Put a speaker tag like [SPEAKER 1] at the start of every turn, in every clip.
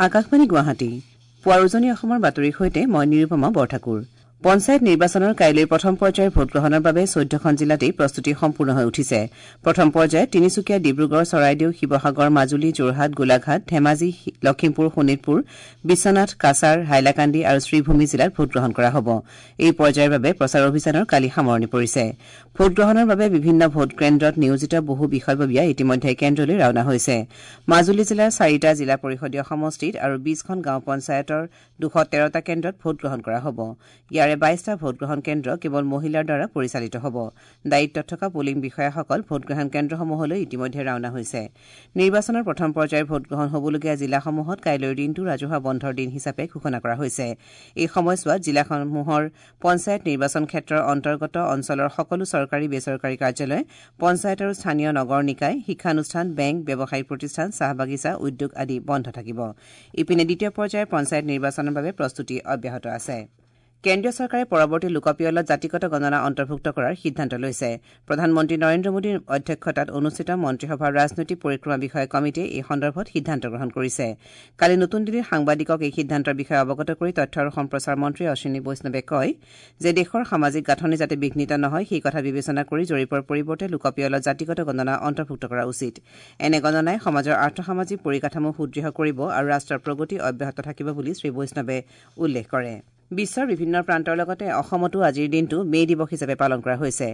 [SPEAKER 1] আকাশবাণী গুৱাহাটী, পুৱাৰ উজনি অসমৰ বাতৰিৰ সৈতে মই নিৰুপমা বৰঠাকুৰ। পঞ্চায়ত নিৰ্বাচনৰ কাইলৈ প্ৰথম পৰ্যায়ৰ ভোটগ্ৰহণৰ বাবে 14খন জিলাতেই প্ৰস্তুতি সম্পূৰ্ণ হৈ উঠিছে। প্ৰথম পৰ্যায়ত তিনিচুকীয়া, ডিব্ৰুগড়, চৰাইদেউ, শিৱসাগৰ, মাজুলী, যোৰহাট, গোলাঘাট, ধেমাজি, লখিমপুৰ, শোণিতপুৰ, বিশ্বনাথ, কাছাৰ, হাইলাকান্দি আৰু শ্ৰীভূমি জিলাত ভোটগ্ৰহণ কৰা হ'ব। এই পৰ্যায়ৰ বাবে প্ৰচাৰ অভিযানৰ কালি সামৰণি পৰিছে। ভোটগ্ৰহণৰ বাবে বিভিন্ন ভোট কেন্দ্ৰত নিয়োজিত বহু বিষয়ববীয়া ইতিমধ্যে কেন্দ্ৰলৈ ৰাওনা হৈছে। মাজুলী জিলাৰ 4টা জিলা পৰিষদীয় সমষ্টিত আৰু 20খন গাঁও পঞ্চায়তৰ 213টা কেন্দ্ৰত ভোটগ্ৰহণ কৰা হ'ব। ইয়াৰে 22টা ভোটগ্ৰহণ কেন্দ্ৰ কেৱল মহিলাৰ দ্বাৰা পৰিচালিত হ'ব। দায়িত্বত থকা পুলিং বিষয়াসকল ভোটগ্ৰহণ কেন্দ্ৰসমূহলৈ ইতিমধ্যে ৰাওনা হৈছে। নিৰ্বাচনৰ প্ৰথম পৰ্যায়ৰ ভোটগ্ৰহণ হ'বলগীয়া জিলাসমূহত কাইলৈৰ দিনটো ৰাজহুৱা বন্ধৰ দিন হিচাপে ঘোষণা কৰা হৈছে। এই সময়ছোৱাত জিলাসমূহৰ পঞ্চায়ত নিৰ্বাচন ক্ষেত্ৰৰ অন্তৰ্গত অঞ্চলৰ সকলো চৰকাৰী বেচৰকাৰী কাৰ্যালয়, পঞ্চায়ত আৰু স্থানীয় নগৰ নিকায়, শিক্ষানুষ্ঠান, বেংক, ব্যৱসায়িক প্ৰতিষ্ঠান, চাহ বাগিচা, উদ্যোগ আদি বন্ধ থাকিব। ইপিনে দ্বিতীয় পৰ্যায়ৰ পঞ্চায়ত নিৰ্বাচনৰ বাবে প্ৰস্তুতি অব্যাহত আছে। কেন্দ্ৰীয় চৰকাৰে পৰৱৰ্তী লোকপিয়লত জাতিগত গণনা অন্তৰ্ভুক্ত কৰাৰ সিদ্ধান্ত লৈছে। প্ৰধানমন্ত্ৰী নৰেন্দ্ৰ মোদীৰ অধ্যক্ষতাত অনুষ্ঠিত মন্ত্ৰীসভাৰ ৰাজনৈতিক পৰিক্ৰমা বিষয়ক কমিটিয়ে এই সন্দৰ্ভত সিদ্ধান্ত গ্ৰহণ কৰিছে। কালি নতুন দিল্লীত সাংবাদিকক এই সিদ্ধান্তৰ বিষয়ে অৱগত কৰি তথ্য আৰু সম্প্ৰচাৰ মন্ত্ৰী অশ্বিনী বৈষ্ণৱে কয় যে দেশৰ সামাজিক গাঁথনি যাতে বিঘ্নিত নহয় সেই কথা বিবেচনা কৰি জৰীপৰ পৰিৱৰ্তে লোকপিয়লত জাতিগত গণনা অন্তৰ্ভুক্ত কৰা উচিত। এনে গণনাই সমাজৰ আৰ্থসামাজিক পৰিকাঠামো সুদৃঢ় কৰিব আৰু ৰাষ্ট্ৰৰ প্ৰগতি অব্যাহত থাকিব বুলি শ্ৰীবৈষ্ণৱে উল্লেখ কৰে। বিশ্বৰ বিভিন্ন প্ৰান্তৰ লগতে অসমতো আজিৰ দিনটো মে' দিৱস হিচাপে পালন কৰা হৈছে।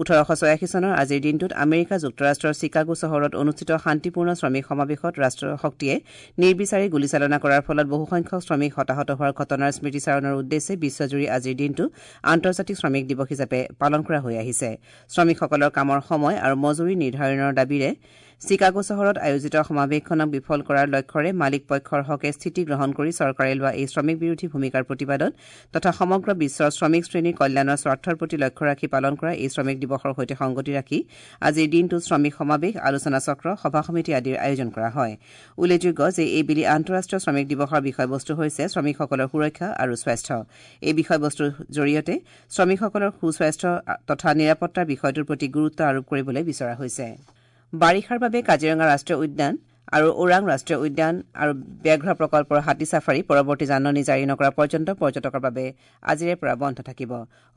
[SPEAKER 1] 1886 চনৰ আজিৰ দিনটোত আমেৰিকা যুক্তৰাষ্ট্ৰৰ চিকাগো চহৰত অনুষ্ঠিত শান্তিপূৰ্ণ শ্ৰমিক সমাৱেশত ৰাষ্ট্ৰশক্তিয়ে নিৰ্বিচাৰে গুলীচালনা কৰাৰ ফলত বহুসংখ্যক শ্ৰমিক হতাহত হোৱাৰ ঘটনাৰ স্মৃতিচাৰণৰ উদ্দেশ্যে বিশ্বজুৰি আজিৰ দিনটো আন্তৰ্জাতিক শ্ৰমিক দিৱস হিচাপে পালন কৰা হৈ আহিছে। শ্ৰমিকসকলৰ কামৰ সময় আৰু মজুৰি নিৰ্ধাৰণৰ দাবীৰে চিকাগো চহৰত আয়োজিত সমাৱেশখনক বিফল কৰাৰ লক্ষ্যৰে মালিক পক্ষৰ হকে স্থিতি গ্ৰহণ কৰি চৰকাৰে লোৱা এই শ্ৰমিক বিৰোধী ভূমিকাৰ প্ৰতিবাদত তথা সমগ্ৰ বিশ্বৰ শ্ৰমিক শ্ৰেণীৰ কল্যাণৰ স্বাৰ্থৰ প্ৰতি লক্ষ্য ৰাখি পালন কৰা এই শ্ৰমিক দিৱসৰ সৈতে সংগতি ৰাখি আজিৰ দিনটোত শ্ৰমিক সমাৱেশ, আলোচনা চক্ৰ, সভা সমিতি আদিৰ আয়োজন কৰা হয়। উল্লেখযোগ্য যে এইবেলি আন্তঃৰাষ্ট্ৰীয় শ্ৰমিক দিৱসৰ বিষয়বস্তু হৈছে শ্ৰমিকসকলৰ সুৰক্ষা আৰু স্বাস্থ্য। এই বিষয়বস্তুৰ জৰিয়তে শ্ৰমিকসকলৰ সুস্বাস্থ্য তথা নিৰাপত্তাৰ বিষয়টোৰ প্ৰতি গুৰুত্ব আৰোপ কৰিবলৈ বিচৰা হৈছে। বাৰিষাৰ বাবে কাজিৰঙা ৰাষ্ট্ৰীয় উদ্যান আৰু ওৰাং ৰাষ্ট্ৰীয় উদ্যান আৰু ব্যাঘ্ৰ প্ৰকল্পৰ হাতী চাফাৰী পৰৱৰ্তী জাননী জাৰি নকৰা পৰ্যন্ত পৰ্যটকৰ বাবে আজিৰে পৰা বন্ধ থাকিব।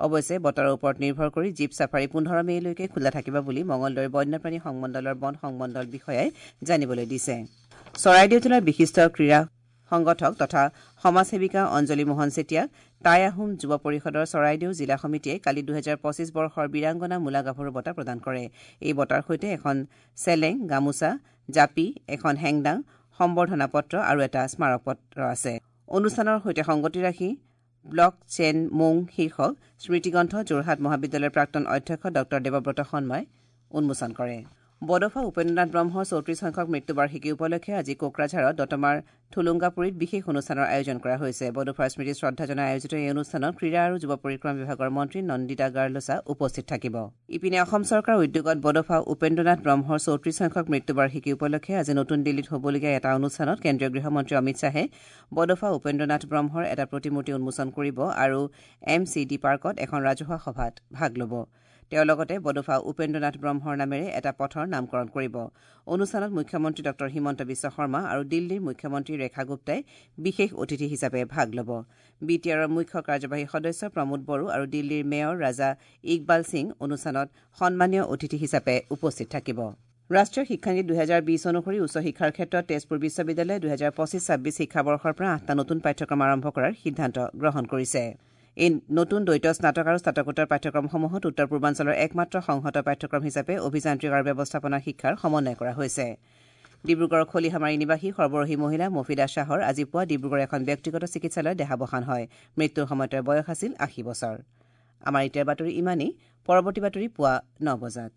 [SPEAKER 1] অৱশ্যে বতৰৰ ওপৰত নিৰ্ভৰ কৰি জীপ চাফাৰী 15 মে'লৈকে খোলা থাকিব বুলি মঙলদৈৰ বন্যপ্ৰাণী সংমণ্ডলৰ বন সংমণ্ডল বিষয়াই জানিবলৈ দিছে। চৰাইদেউ জিলাৰ বিশিষ্ট ক্ৰীড়া সংগঠক তথা সমাজসেৱিকা অঞ্জলি মোহন চেতিয়াক টাই আহোম যুৱ পৰিষদৰ চৰাইদেউ জিলা সমিতিয়ে কালি 2025 বৰ্ষৰ বীৰাংগনা মূলা গাভৰু বঁটা প্ৰদান কৰে। এই বঁটাৰ সৈতে এখন চেলেং, গামোচা, জাপি, এখন হেংদাং, সম্বৰ্ধনা পত্ৰ আৰু এটা স্মাৰকপত্ৰ আছে। অনুষ্ঠানৰ সৈতে সংগতি ৰাখি ব্লক চেন মুং শীৰ্ষক স্মৃতিগ্ৰন্থ যোৰহাট মহাবিদ্যালয়ৰ প্ৰাক্তন অধ্যক্ষ ডঃ দেৱব্ৰত শৰ্মাই উন্মোচন কৰে। বডফা উপেন্দ্ৰনাথ ব্ৰহ্মৰ 34 সংখ্যক মৃত্যুবাৰ্ষিকী উপলক্ষে আজি কোকৰাঝাৰত দতমাৰ থুলুংগাপুৰীত বিশেষ অনুষ্ঠানৰ আয়োজন কৰা হৈছে। বডফাৰ স্মৃতিত শ্ৰদ্ধা জনাই আয়োজিত এই অনুষ্ঠানত ক্ৰীড়া আৰু যুৱ পৰিক্ৰমা বিভাগৰ মন্ত্ৰী নন্দিতা গাৰ্লোচা উপস্থিত থাকিব। ইপিনে অসম চৰকাৰৰ উদ্যোগত বডফা উপেন্দ্ৰনাথ ব্ৰহ্মৰ 34 সংখ্যক মৃত্যুবাৰ্ষিকী উপলক্ষে আজি নতুন দিল্লীত হ'বলগীয়া এটা অনুষ্ঠানত কেন্দ্ৰীয় গৃহমন্ত্ৰী অমিত শ্বাহে বডফা উপেন্দ্ৰনাথ ব্ৰহ্মৰ এটা প্ৰতিমূৰ্তি উন্মোচন কৰিব আৰু এম চি ডি পাৰ্কত এখন ৰাজহুৱা সভাত ভাগ ল'ব। তেওঁ লগতে বডফা উপেন্দ্ৰনাথ ব্ৰহ্মৰ নামেৰে এটা পথৰ নামকৰণ কৰিব। অনুষ্ঠানত মুখ্যমন্ত্ৰী ডঃ হিমন্ত বিশ্ব শৰ্মা আৰু দিল্লীৰ মুখ্যমন্ত্ৰী ৰেখা গুপ্তাই বিশেষ অতিথি হিচাপে ভাগ ল'ব। বি টি আৰৰ মুখ্য কাৰ্যবাহী সদস্য প্ৰমোদ বড়ো আৰু দিল্লীৰ মেয়ৰ ৰাজা ইকবাল সিং অনুষ্ঠানত সন্মানীয় অতিথি হিচাপে উপস্থিত থাকিব। ৰাষ্ট্ৰীয় শিক্ষানীতি 2020 অনুসৰি উচ্চ শিক্ষাৰ ক্ষেত্ৰত তেজপুৰ বিশ্ববিদ্যালয়ে 2025-26 শিক্ষাবৰ্ষৰ পৰা 8টা নতুন পাঠ্যক্ৰম আৰম্ভ কৰাৰ সিদ্ধান্ত গ্ৰহণ কৰিছে। এই নতুন দ্বৈত স্নাতক আৰু স্নাতকোত্তৰ পাঠ্যক্ৰমসমূহত উত্তৰ পূৰ্বাঞ্চলৰ একমাত্ৰ সংহত পাঠ্যক্ৰম হিচাপে অভিযান্ত্ৰিক আৰু ব্যৱস্থাপনা শিক্ষাৰ সমন্বয় কৰা হৈছে। ডিব্ৰুগড়ৰ খলিহামাৰী নিবাসী সৰবৰহী মহিলা মফিদা শ্বাহৰ আজি পুৱা ডিব্ৰুগড়ৰ এখন ব্যক্তিগত চিকিৎসালয়ত দেহাৱসান হয়। মৃত্যুৰ সময়ত তেওঁৰ বয়স আছিল 80 বছৰ। আমাৰ এতিয়াৰ বাতৰি ইমানেই। পৰৱৰ্তী বাতৰি পুৱা 9 বজাত।